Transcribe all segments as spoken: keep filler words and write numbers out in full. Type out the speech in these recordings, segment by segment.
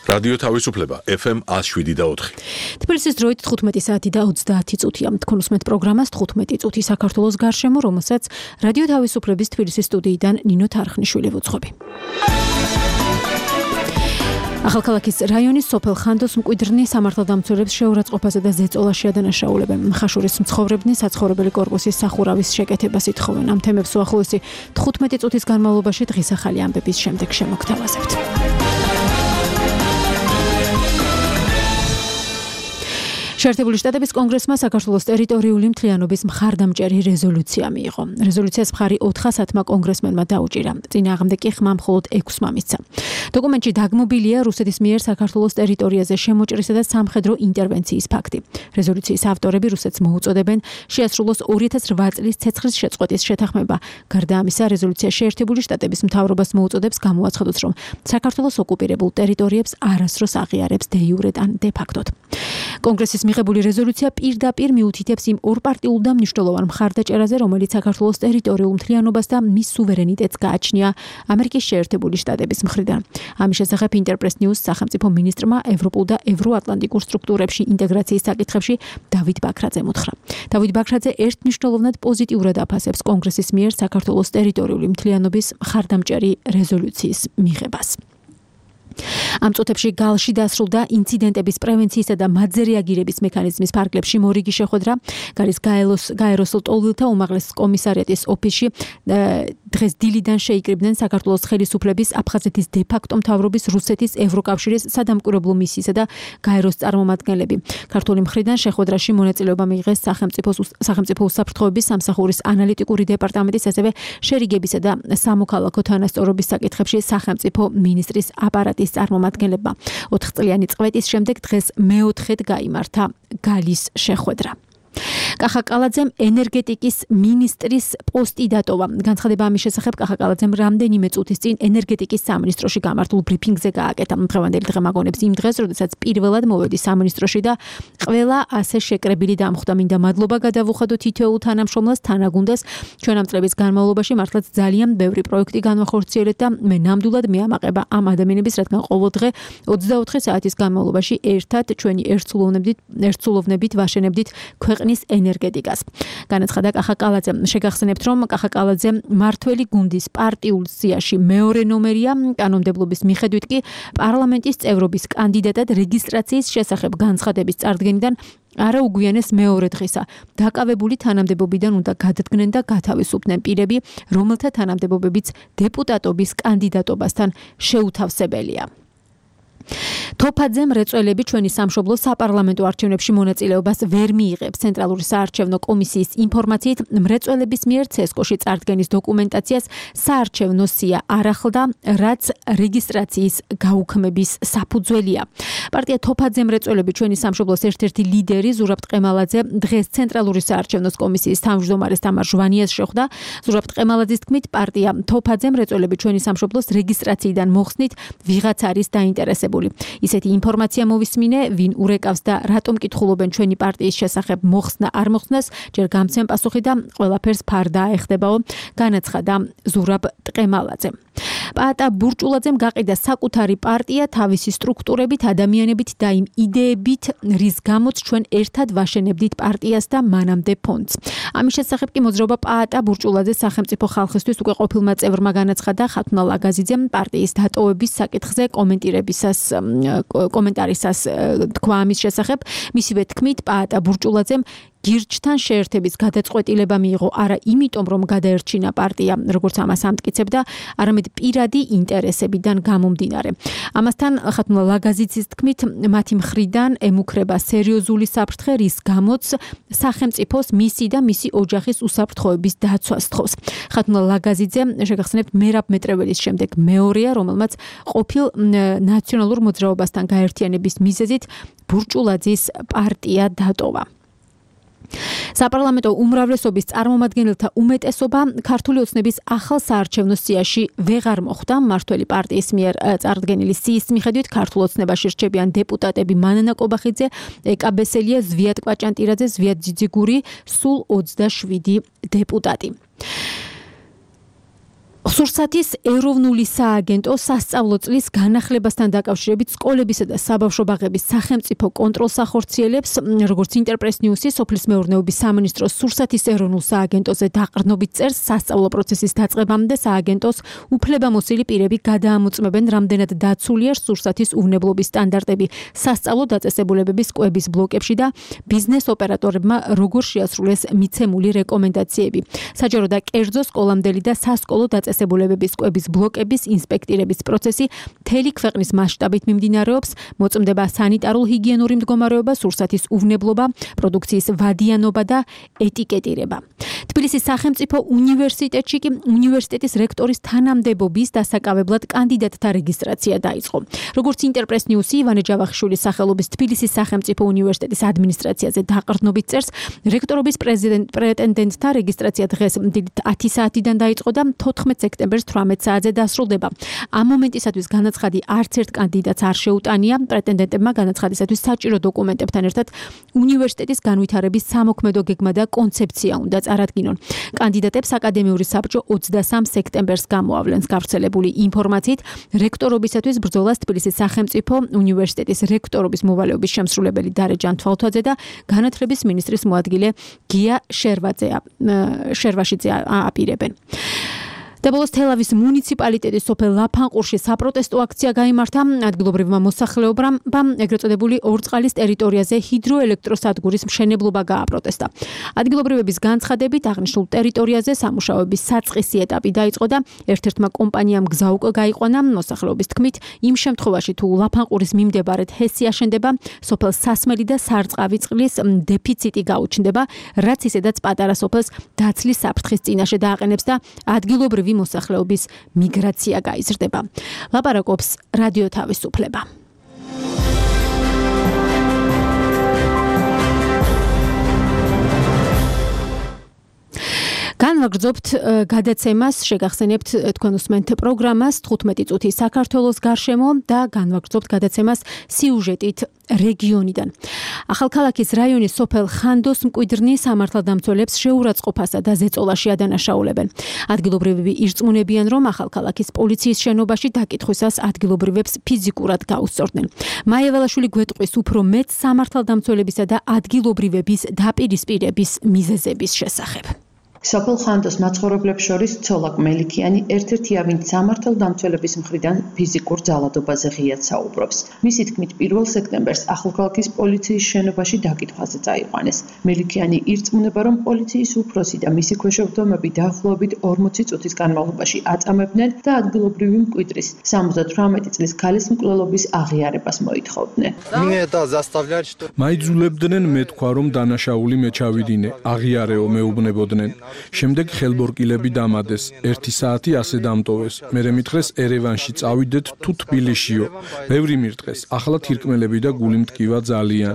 რადიო თავისუფლება ეფ ემ one oh seven და four. თბილისის დროით თხუთმეტი საათი და ოცდაათი წუთია. თქვენ უსმენთ პროგრამას თხუთმეტი წუთი საქართველოს გარშემო, რომელსაც რადიო თავისუფლების თბილისის სტუდიიდან ნინო თარხნიშვილი ვუძღვები. ახალქალაქის რაიონის სოფელ ხანდოს მკვიდრნი სამართალდამცველებს შეურაცხყოფასა და ზეწოლაში ადანაშაულებენ. ხაშურის მცხოვრებნი საცხოვრებელი კორპუსის სახურავის შეკეთებას ითხოვენ. ამ თემებს უახლოესი თხუთმეტი წუთის განმავლობაში დღის ახალი ამბების შემდეგ შემოგთავაზებთ. შეერთებული შტატების კონგრესმა საქართველოს ტერიტორიული მთლიანობის მხარდამჭერი რეზოლუცია მიიღო. რეზოლუციას მხარი ოთხასათმა კონგრესმენმა დაუჭირა. წინააღმდეგ კი ხმა მხოლოდ ექვსმა მისცა. დოკუმენტში დაგმობილია რუსეთის მიერ საქართველოს ტერიტორიაზე შემოჭრისა და სამხედრო ინტერვენციის ფაქტი. რეზოლუციის ავტორები რუსეთს მოუწოდებენ შეასრულოს ორი ათას ოთხ წლის ცეცხლის შეწყვეტის შეთანხმება. გარდა ამისა, რეზოლუცია შეერთებული შტატების მთავრობას მოუწოდებს გამოაცხადოს, რომ საქართველოს ოკუპირებულ ტერიტორიებს არასდროს აღიარებს დე იურე ან დე ფაქტოდ. კონგრესის მიღებული რეზოლუცია პირდაპირ მიუთითებს იმ ორპარტიულ და მნიშვნელოვან მხარდაჭერაზე, რომელიც საქართველოს ტერიტორიულ მთლიანობას და მის სუვერენიტეტს გააჩნია ამერიკის შეერთებული შტატების მხრიდან. ამის შესახებ ინტერპრეს ნიუს სახელმწიფო მინისტრმა ევროპულ და ევროატლანტიკურ სტრუქტურებში ინტეგრაციის საკითხებში დავით ბაქრაძემ უთხრა. დავით ბაქრაძე ერთმნიშვნელოვნად პოზიტიურად აფასებს კონგრესის მიერ საქართველოს ტერიტორიული მთლიანობის მხარდამჭერი რეზოლუციის მიღებას. ამ წუთებში გალში დასრულდა ინციდენტების პრევენციისა და მათზე რეაგირების მექანიზმის ფარგლებში მორიგი შეხვედრა. გარის გაეროსულ ტოლვილთა უმაღლეს კომისარიატის ოფისში დღეს დილიდან შეიკრიბნენ საქართველოს ხელისუფლების, აფხაზეთის დე ფაქტო მთავრობის, რუსეთის, ევროკავშირის სადამკვირვებლო მისიისა და გაეროს წარმომადგენლები. ქართული მხრიდან შეხვედრაში მონაწილეობა მიიღეს სახელმწიფო უსაფრთხოების სამსახურის ანალიტიკური დეპარტამენტის, ასევე შერიგებისა და სამოქალაქო თანასწორობის საკითხებში სახელმწიფო მინისტრის აპარატის წარმომადგენლებმა. ოთხწლიანი წვეტის შემდეგ დღეს მეოთხედ გაიმართა გალის შეხვედრა. კახა კალაძემ ენერგეტიკის მინისტრის პოსტი დატოვა. განცხადება ამის შესახებ კახა კალაძემ რამდენიმე წუთის წინ ენერგეტიკის სამინისტროში გამართულ ბრიფინგზე გააკეთა. დღევანდელი დღე მაგონებს იმ დღეს, როდესაც პირველად მოვედი სამინისტროში და ყველა ასე შეკრებილი დამხვდა. მინდა მადლობა გადავუხადო თითოეულ თანამშრომლას, თანაგუნდას. ჩვენ ამ წლების განმავლობაში მართლაც ძალიან ბევრი პროექტი განვახორციელეთ და მე ნამდვილად მეამაყება ამ ადამიანების, რადგან ყოველ დღე ოცდაოთხი საათის განმავლობაში ერთად ჩვენი ერთსულოვნებით ერთსულოვნებით ვაშენებდით ქვეყნის ენერგეტიკას. განაცხადა კახა კალაძემ. შეგახსენებთ, რომ კახა კალაძე მართველი გუნდის პარტიულ სიაში მეორე ნომერია. კანონმდებლობის მიხედვით კი პარლამენტის წევრობის კანდიდატად რეგისტრაციის შესახებ განცხადების წარდგენიდან არა უგვიანეს მეორე დღისა. დაკავებული თანამდებობიდან უნდა გადადგნენ და გათავისუფლდნენ პირები, რომელთა თანამდებობებიც დეპუტატობის კანდიდატობასთან შეუთავსებელია. თოფაძემ რეწველები ჩვენი სამშობლო საპარლამენტო არჩევნებში მონაწილეობას ვერ მიიღებს. ცენტრალური საარჩევნო კომისიის ინფორმაციით, მრეწველების მიერ ცესკოში წარდგენის დოკუმენტაციას საარჩევნო სია არ ახლდა, რაც რეგისტრაციის გაუქმების საფუძველია. პარტია თოფაძემ რეწველები ჩვენი სამშობლოს ერთ-ერთი ლიდერი ზურაბ ტყემალაძე დღეს ცენტრალური საარჩევნო კომისიის თავმჯდომარეს თამარ ჟვანიას შეხვდა. ზურაბ ტყემალაძის თქმით, პარტია თოფაძემ რეწველები ჩვენი სამშობლოს რეგისტრაციიდან მოხსნით ვიღაც არის დაინტერესებული. ისეთი ინფორმაცია მოვისმინე, ვინ ურეკავს და რატომ კითხულობენ ჩვენი პარტიის შესახებ მოხსნა არ მოხსნას, ჯერ გამცემ პასუხი და ყველაფერს ფარდა აეხდებაო, განაცხადა ზურაბ ტყემალაძემ. პაატა ბურჭულაძემ გაყიდა საკუთარი პარტია თავისი სტრუქტურებით, ადამიანებით და იმ იდეებით, რის გამოც ჩვენ ერთად ვაშენებდით პარტიას და მანამდე ფონდს. ამის შესახებ კი მოძრაობა პაატა ბურჭულაძეს სახელმწიფო ხალხისთვის უკვე ყოფილმა წევრმა განაცხადა ხათუნა ლაგაზიძემ პარტიის დატოვების საკითხზე კომენტირებისას კომენტარისას თქვა ამის შესახებ. მისივე თქმით, პაატა ბურჭულაძემ გირჩთან შეერთების გადაწყვეტილება მიიღო არა იმიტომ, რომ გადაერჩინა პარტია, როგორც ამას ამტკიცებდა, არამედ პირადი ინტერესებიდან გამომდინარე. ამასთან ხათუნა ლაგაზიძის თქმით, მათი მხრიდან ემუქრება სერიოზული საფრთხე, რის გამოც სახელმწიფოს მისი და მისი ოჯახის უსაფრთხოების დაცვას თხოვს. ხათუნა ლაგაზიძე, შეგახსენებთ, მერაბ მეტრეველის შემდეგ მეორეა, რომელმაც ყოფილ ნაციონალურ მოძრაობასთან გაერთიანების მიზეზით ბურჭულაძის პარტია დატოვა. საპარლამენტო უმრავლესობის წარმომადგენელთა უმეტესობა ქართული ოცნების ახალ საარჩევნო სიაში ვეღარ მოხვდა. მმართველი პარტიის მიერ წარდგენილი სიის მიხედვით ქართულ ოცნებაში რჩებიან დეპუტატები მანანა კობახიძე, ეკა ბესელია, ზვიად კვაჭანტირაძე, ზვიად ძიძიგური, სულ ოცდაშვიდი დეპუტატი. ხსურსათის ეროვნული სააგენტო სასწავლო წლის განახლებასთან დაკავშირებით სკოლებისა და საბავშვო ბაღების სახელმწიფო კონტროლს ახორციელებს, როგორც ინტერპრეს ნიუსი სოფლის მეურნეობის სამინისტროს სურსათის ეროვნულ სააგენტოზე დაყრდნობით წერს, სასწავლო პროცესის დაწყებამდე სააგენტოს უფლებამოსილი პირები გადაამოწმებენ, რამდენად დაცულია სურსათის უვნებლობის სტანდარტები სასწავლო დაწესებულებების კვების ბლოკებში და ბიზნეს ოპერატორებმა როგორ შეასრულეს მიცემული რეკომენდაციები. საჯარო და კერძო სკოლამდელი და სასკოლო დაწესებულებების კვების ბლოკების ინსპექტირების პროცესი მთელი ქვეყნის მასშტაბით მიმდინარეობს, მოწმდება სანიტარულ-ჰიგიენური მდგომარეობა, სურსათის უვნებლობა, პროდუქციის ვადიანობა და ეტიკეტირება. თბილისის სახელმწიფო უნივერსიტეტში კი უნივერსიტეტის რექტორის თანამდებობის დასაკავებლად კანდიდატთა რეგისტრაცია დაიწყო. როგორც ინტერპრეს ნიუსი ივანე ჯავახიშვილის სახელობის თბილისის სახელმწიფო უნივერსიტეტის ადმინისტრაციაზე დაყრდნობით წერს, რექტორობის პრეტენდენტთა რეგისტრაცია დღეს ათი საათიდან დაიწყო და თოთხმეტ სექტემბერს თვრამეტ საათზე დასრულდება. ამ მომენტისათვის განაცხადი არც ერთ კანდიდატს არ შეუტანია. პრეტენდენტებმა განაცხადისათვის საჭირო დოკუმენტებთან ერთად უნივერსიტეტის განვითარების სამოქმედო გეგმა და კონცეფცია უნდა წარადგინონ. კანდიდატებს აკადემიური საბჭო ოცდასამ სექტემბერს გამოავლენს. გავრცელებული ინფორმაციით, რექტორობისათვის ბრძოლას თბილისის სახელმწიფო უნივერსიტეტის რექტორობის მოვალეობის შემსრულებელი დარეჯან თვალთვაძე და განათლების მინისტრის მოადგილე გია შერვაძე შერვაშიძე აპირებენ. და ბოლოს თელავის მუნიციპალიტეტის სოფელ ლაფანყურში საპროტესტო აქცია გაიმართა. ადგილობრივმა მოსახლეობამ ეგრეთ წოდებული ორწყალის ტერიტორიაზე ჰიდროელექტროსადგურის მშენებლობა გააპროტესტა. ადგილობრივების განცხადებით, აღნიშნულ ტერიტორიაზე სამუშაოების საწყისი ეტაპი დაიწყო და ერთ-ერთმა კომპანიამ გზა უკვე გაიყვანა. მოსახლეობის თქმით, იმ შემთხვევაში თუ ლაფანყურის მიმდებარედ ჰესი აშენდება, სოფელ სასმელი და სარწყავი წყლის დეფიციტი გაუჩნდება, რაც ისედაც პატარა სოფელს დაცლის საფრთხის წინაშე დააყენებს და ადგილობრივი მოსახლეობის მიგრაცია გაიზრდება. ლაპარაკობს რადიო თავისუფლება. განვაგრძობთ გადაცემას, შეგახსენებთ თქვენ უსმენთ პროგრამას თხუთმეტი წუთი საქართველოს გარშემო და განვაგრძობთ გადაცემას სიუჟეტით რეგიონიდან. ახალქალაქის რაიონის სოფელ ხანდოს მკვიდრნი სამართალდამცველებს შეურაცხყოფასა და ზეწოლაში ადანაშაულებენ. ადგილობრივები ირწმუნებიან, რომ ახალქალაქის პოლიციის შენობაში დაკითხვისას ადგილობრივებს ფიზიკურად გაუსწორდნენ. მაია ველაშვილი გვეტყვის უფრო მეტ სამართალდამცველებისა და ადგილობრივების დაპირისპირების მიზეზების შესახებ. სოფელ ხანდოს მაცხოვრებლებს შორის ცოლაკ მელიქიანი ერთ-ერთია, ვინც სამართალდამცველების მხრიდან ფიზიკურ ძალადობაზე ღიად საუბრობს. მისი თქმით, პირველ სექტემბერს ახალქალაქის პოლიციის შენობაში დაკითხვაზე წაიყვანეს. მელიქიანი ირწმუნება, რომ პოლიციის უფროსი და მისი ქვეშევრდომები დაახლოებით ორმოცი წუთის განმავლობაში აწამებდნენ და ადგილობრივი მკვიდრის სამოცდათვრამეტი წლის ქალის მკვლელობის აღიარებას მოითხოვდნენ. მაიძულებდნენ მეთქვა, რომ დანაშაული მე ჩავიდინე, აღიარეო მეუბნებოდნენ. შემდეგ ხელბორკილები დამადეს, ერთი საათი ასე დამტოვეს. მერე მითხრეს ერევანში წავიდეთ თუ თბილისშიო. ბევრი მირტყეს, ახლა თირკმელები და გული მტკივა ძალიან.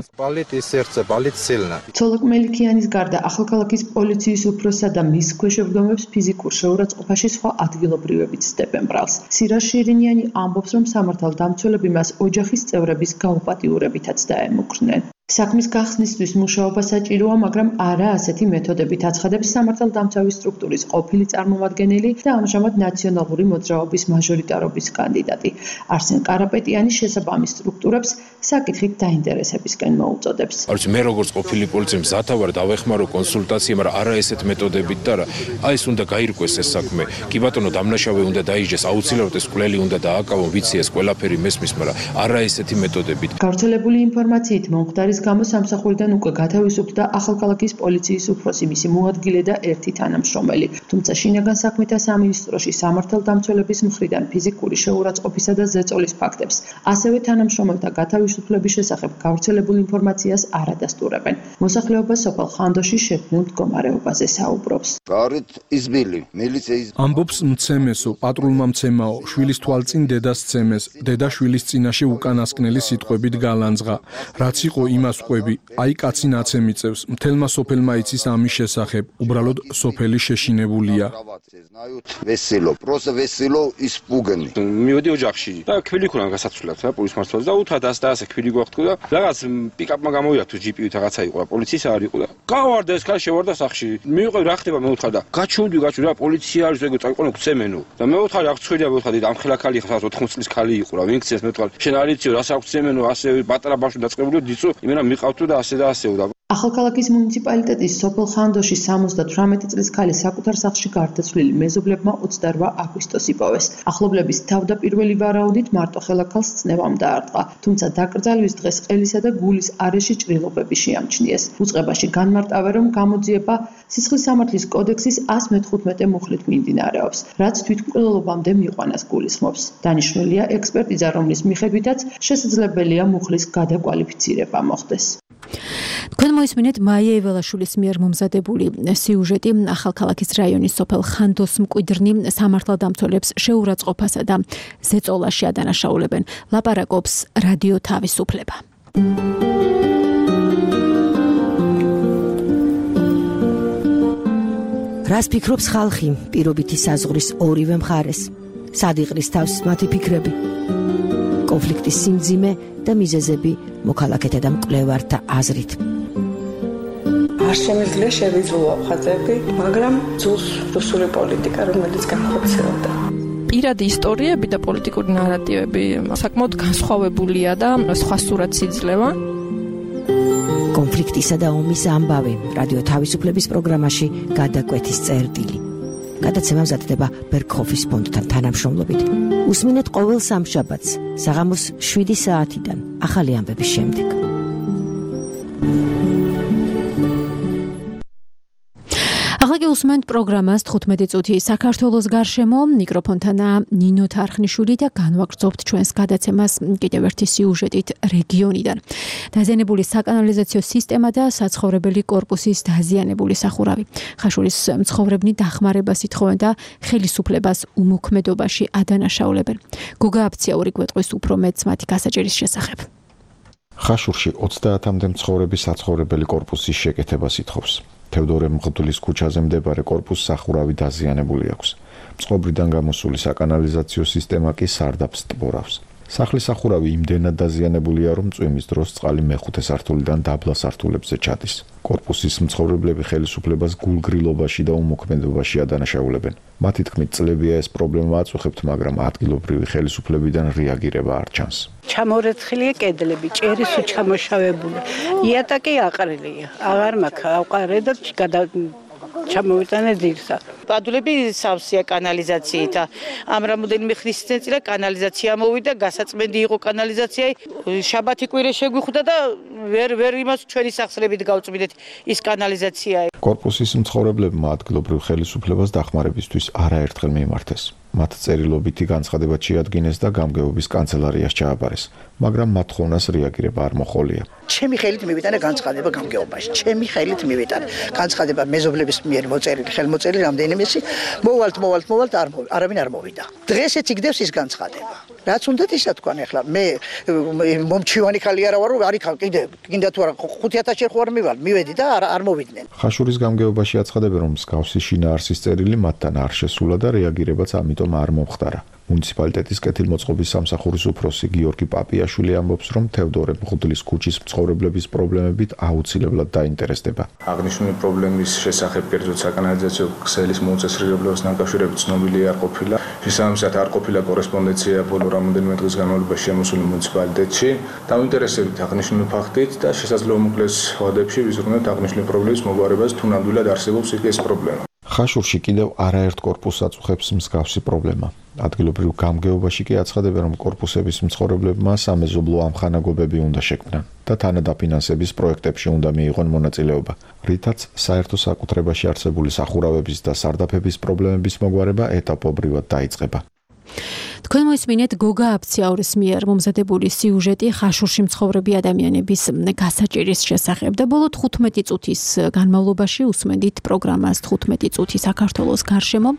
ცოლაკ მელიქიანის გარდა ახალქალაქის პოლიციის უფროსსა და მის ქვეშევრდომებს ფიზიკურ შეურაცხყოფაში სხვა ადგილობრივებიც ცდებენ ბრალს. სირას შირინიანი ამბობს, რომ სამართალდამცველები მას ოჯახის წევრების გაუპატიურებითაც დაემუქრნენ. საქმის გახსნისთვის მუშაობა საჭიროა, მაგრამ არა ასეთი მეთოდებით აცხადებს სამართალდამცავი სტრუქტურის ყოფილი წარმომადგენელი და ამჟამად ნაციონალური მოძრაობის მაჟორიტარობის კანდიდატი. არსენ კარაპეტიანი შესაბამის სტრუქტურებს საკითხით დაინტერესებისკენ მოუწოდებს. არც მე როგორც ყოფილი პოლიციის მზათავარ დავეხმარო კონსულტაცია, მაგრამ არა ესეთ მეთოდებით და რა. აი ეს უნდა გაირკვეს ეს საქმე. კი ბატონო, დამნაშავე უნდა დაიჯეს, აუცილებლად ეს კვლელი უნდა დააკავონ, ვიცი ეს ყველაფერი მესმის, მაგრამ არა ესეთი მეთოდებით. გავრცელებული ინფორმაციით მომხდარი გამო სამსახურიდან უკვე გათავისუფლდა ახალქალაქის პოლიციის უფროსი, მისი მოადგილე და ერთი თანამშრომელი. თუმცა შინაგან საქმეთა სამინისტროში სამართალდამცველების მხრიდან ფიზიკური შეურაცხყოფისა და ზეწოლის ფაქტებს, ასევე თანამშრომელთა გათავისუფლების შესახებ გავრცელებულ ინფორმაციას არ ადასტურებენ. მოსახლეობა სოფელ ხანდოში შექმნილ მდგომარეობაზე საუბრობს. ამბობს მცემესო, პატრულმა მცემაო, შვილის თვალწინ დედას ცემეს, დედა შვილის წინაშე უკანასკნელი სიტყვებით გალანძღა. რაც იყო იმ იმასყვები, აი კაცი ნაცე მიწევს, მთელმა სოფელმა იცის ამის შესახებ, უბრალოდ სოფელი შეშინებულია. Veselo, просто veselo испуганный. მივედი ოჯახში და ქვილი ქონა გასაცვლელად რა პოლიციის მართლაც და უთხრა და ასე და ასე ქვილი გვაქვს და რაღაც პიკაპმა გამოვიდა თუ ჯიპი რაღაცა იყო და პოლიციის არ იყო და გავარდა ეს ქალი შევარდა სახში მივიყევი რა ხდება მე უთხრა და გაჩუნდი გაჩუნდი რა პოლიცია არის ეგ წაიყვანო გცემენო და მე უთხრა რა ხცხვილია მე უთხრა და ამ ხელა ქალი ხარ ოთხმოცი წლის ქალი იყო რა ვინ გცეს მე უთხრა შენ არ იცი რას აქვს გცემენო ასე პატარა ბავშვი დაწყებული დიცო იმენა მიყავთო და ასე და ასეო და ახალქალაქის მუნიციპალიტეტის სოფელ ხანდოში სამოცდათვრამეტი წლის ქალი საკუთარ სახლში გარდაცვლილი მეზობლებმა ოცდაორ აგვისტოს იპოვეს. ახლობლების თავდაპირველი ვარაუდით მარტოხელა ქალს წნევამ დაარტყა, თუმცა დაკრძალვის დღეს ყელისა და გულის არეში ჭრილობები შეამჩნიეს. უწყებაში განმარტავენ, რომ გამოძიება სისხლის სამართლის კოდექსის ასი მეთხუთმეტე მუხლით მიმდინარეობს, რაც თვითმკვლელობამდე მიყვანას გულისხმობს. დანიშნულია ექსპერტიზა, რომლის მიხედვითაც შესაძლებელია მუხლის გადაკვალიფიცირება მოხდეს. თქვენ მოისმინეთ მაია ეველაშვილის მიერ მომზადებული სიუჟეტი ახალქალაქის რაიონის სოფელ ხანდოს მკვიდრნი სამართალდამცველებს შეურაცხყოფასა და ზეწოლაში ადანაშაულებენ. ლაპარაკობს რადიო თავისუფლება. რას ფიქრობს ხალხი პირობითი საზღვრის ორივე მხარეს? სად იყრის თავს მათი ფიქრები? კონფლიქტის სიმძიმე და მიზეზები მოქალაქეთა და მკვლევართა აზრით. არ შემიძლია შევიძულო ხაზები, მაგრამ ძულს რუსული პოლიტიკა, რომელიც განხორციელდა. პირადი ისტორიები და პოლიტიკური ნარატივები საკმაოდ განსხვავებულია და სხვა სურათს იძლევა. კონფლიქტისა და ომის ამბავი რადიო თავისუფლების პროგრამაში გადაკვეთის წერტილი. გადაცემა მზადდება ბერქჰოფის ფონდთან თანამშრომლობით. უსმინეთ ყოველ სამშაბათს საღამოს შვიდი საათიდან ახალი ამბების შემდეგ. ახლა უსმენთ პროგრამას თხუთმეტი წუთი საქართველოს გარშემო, მიკროფონთანა ნინო თარხნიშვილი და განვაგრძობთ ჩვენს გადაცემას კიდევ ერთი სიუჟეტით რეგიონიდან. დაზიანებული საკანალიზაციო სისტემა და საცხოვრებელი კორპუსის დაზიანებული სახურავი. ხაშურის მცხოვრებნი დახმარებას ითხოვენ და ხელისუფლებას უმოქმედობაში ადანაშაულებენ. გოგა აფციაური გვეტყვის უფრო მეტს მათი გასაჭირის შესახებ. ხაშურში ოცდაათამდე მცხოვრები საცხოვრებელი კორპუსის შეკეთებას ითხოვს. თევდორე მღვდლის ქუჩაზე მდებარე კორპუსს სახურავი დაზიანებული აქვს. წყობრიდან გამოსული საკანალიზაციო სისტემა კი სარდაფს ტბორავს. სახლის სახურავი იმდენად დაზიანებულია, რომ წვიმის დროს წყალი მეხუთე სართულიდან დაბლა სართულებზე ჩადის. კორპუსის მცხოვრებლები ხელისუფლებას გულგრილობაში და უმოქმედობაში ადანაშაულებენ. მათი თქმით, წლებია ეს პრობლემა აწუხებთ, მაგრამ ადგილობრივი ხელისუფლებიდან რეაგირება არ ჩანს. ჩამორეცხილია კედლები, ჭერის უჩამოშავებული. იატაკი აყრილია. აღარ მაქვს აყარე და გადა ჩამოვიტანე ძირსა. პადულები სავსეა კანალიზაციით. ამ რამოდენიმე ხნის წინწილა კანალიზაცია მოვიდა, გასაწმენდი იყო კანალიზაციაი. შაბათი კვირე შეგვიხვდა და ვერ ვერ იმას ჩვენი სახსრებით გავწვიდეთ ის კანალიზაცია. კორპუსის მცხოვრებლებმა ადგილობრივ ხელისუფლებას დახმარებისთვის არაერთხელ მიმართეს. მათ წერილობითი განცხადება შეადგინეს და გამგეობის კანცელარიას ჩააბარეს, მაგრამ მათ ხოვნას რეაგირება არ მოჰყოლია. ჩემი ხელით მივიტანე განცხადება გამგეობაში. ჩემი ხელით მივიტანე განცხადება მეზობლების მიერ მოწერილი, ხელმოწერილი რამდენიმეში. მოვალთ, მოვალთ, მოვალთ, არ არავინ არ მოვიდა. დღესაც იგდევს ის განცხადება. რაც უნდა ისა თქვან ახლა მე მომჩივანი ხალი არა ვარ, არის კიდე კიდე თუ არა ხუთი ათასი ხარ მივალ, მივედი და არ არ მოვიდნენ. ხაშურის გამგეობაში აცხადებენ, რომ მსგავსი შინაარსის წერილი მათთან არ შესულა და რეაგირებაც ამიტომ არ მომხდარა. მუნიციპალიტეტის კეთილმოწყობის სამსახურის უფროსი გიორგი პაპიაშვილი ამბობს, რომ თევდორე მღვდლის ქუჩის მცხოვრებლების პრობლემებით აუცილებლად დაინტერესდება. აღნიშნული პრობლემის შესახებ კერძოდ საკანალიზაციო ქსელის მოუწესრიგებლობის დაკავშირებით ცნობილი არ ყოფილა. შესაბამისად არ ყოფილა კორესპონდენცია ბოლო რამოდენიმე დღის განმავლობაში შემოსული მუნიციპალიტეტში. დაინტერესებით აღნიშნული ფაქტით და შესაძლოა უმოკლეს ვადებში ვიზრუნოთ აღნიშნული პრობლემის მოგვარებას, თუ ნამდვილად არსებობს იქ ეს პრობლემა. ხაშურში კიდევ არაერთ კორპუსს აწუხებს მსგავსი პრობლემა. ადგილობრივ გამგეობაში კი აცხადებენ, რომ კორპუსების მცხოვრებლებმა სამეზობლო ამხანაგობები უნდა შექმნან და თანადაფინანსების პროექტებში უნდა მიიღონ მონაწილეობა, რითაც საერთო საკუთრებაში არსებული სახურავების და სარდაფების პრობლემების მოგვარება ეტაპობრივად დაიწყება. თქვენ მოისმინეთ გოგა აფციაურის მიერ მომზადებული სიუჟეტი ხაშურში მცხოვრები ადამიანების გასაჭირის შესახებ და ბოლო თხუთმეტი წუთის განმავლობაში უსმენდით პროგრამას თხუთმეტი წუთი საქართველოს გარშემო,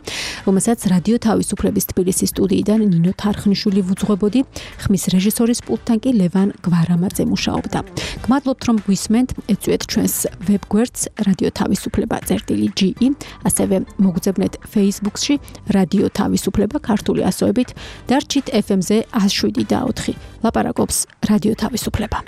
რომელსაც რადიო თავისუფლების თბილისის სტუდიიდან ნინო თარხნიშვილი ვუძღვებოდი, ხმის რეჟისორის პულტთან კი ლევან გვარამაძე მუშაობდა. გმადლობთ რომ გვისმენთ, ეწვიეთ ჩვენს ვებგვერდს რადიო თავისუფლება წერტილი ჯი ი, ასევე მოგძებნეთ Facebook-ში რადიო თავისუფლება ქართული ასოებით და რჩით ეფ ემ-ზე ას შვიდი და ოთხი. ლაპარაკობს რადიო თავისუფლება.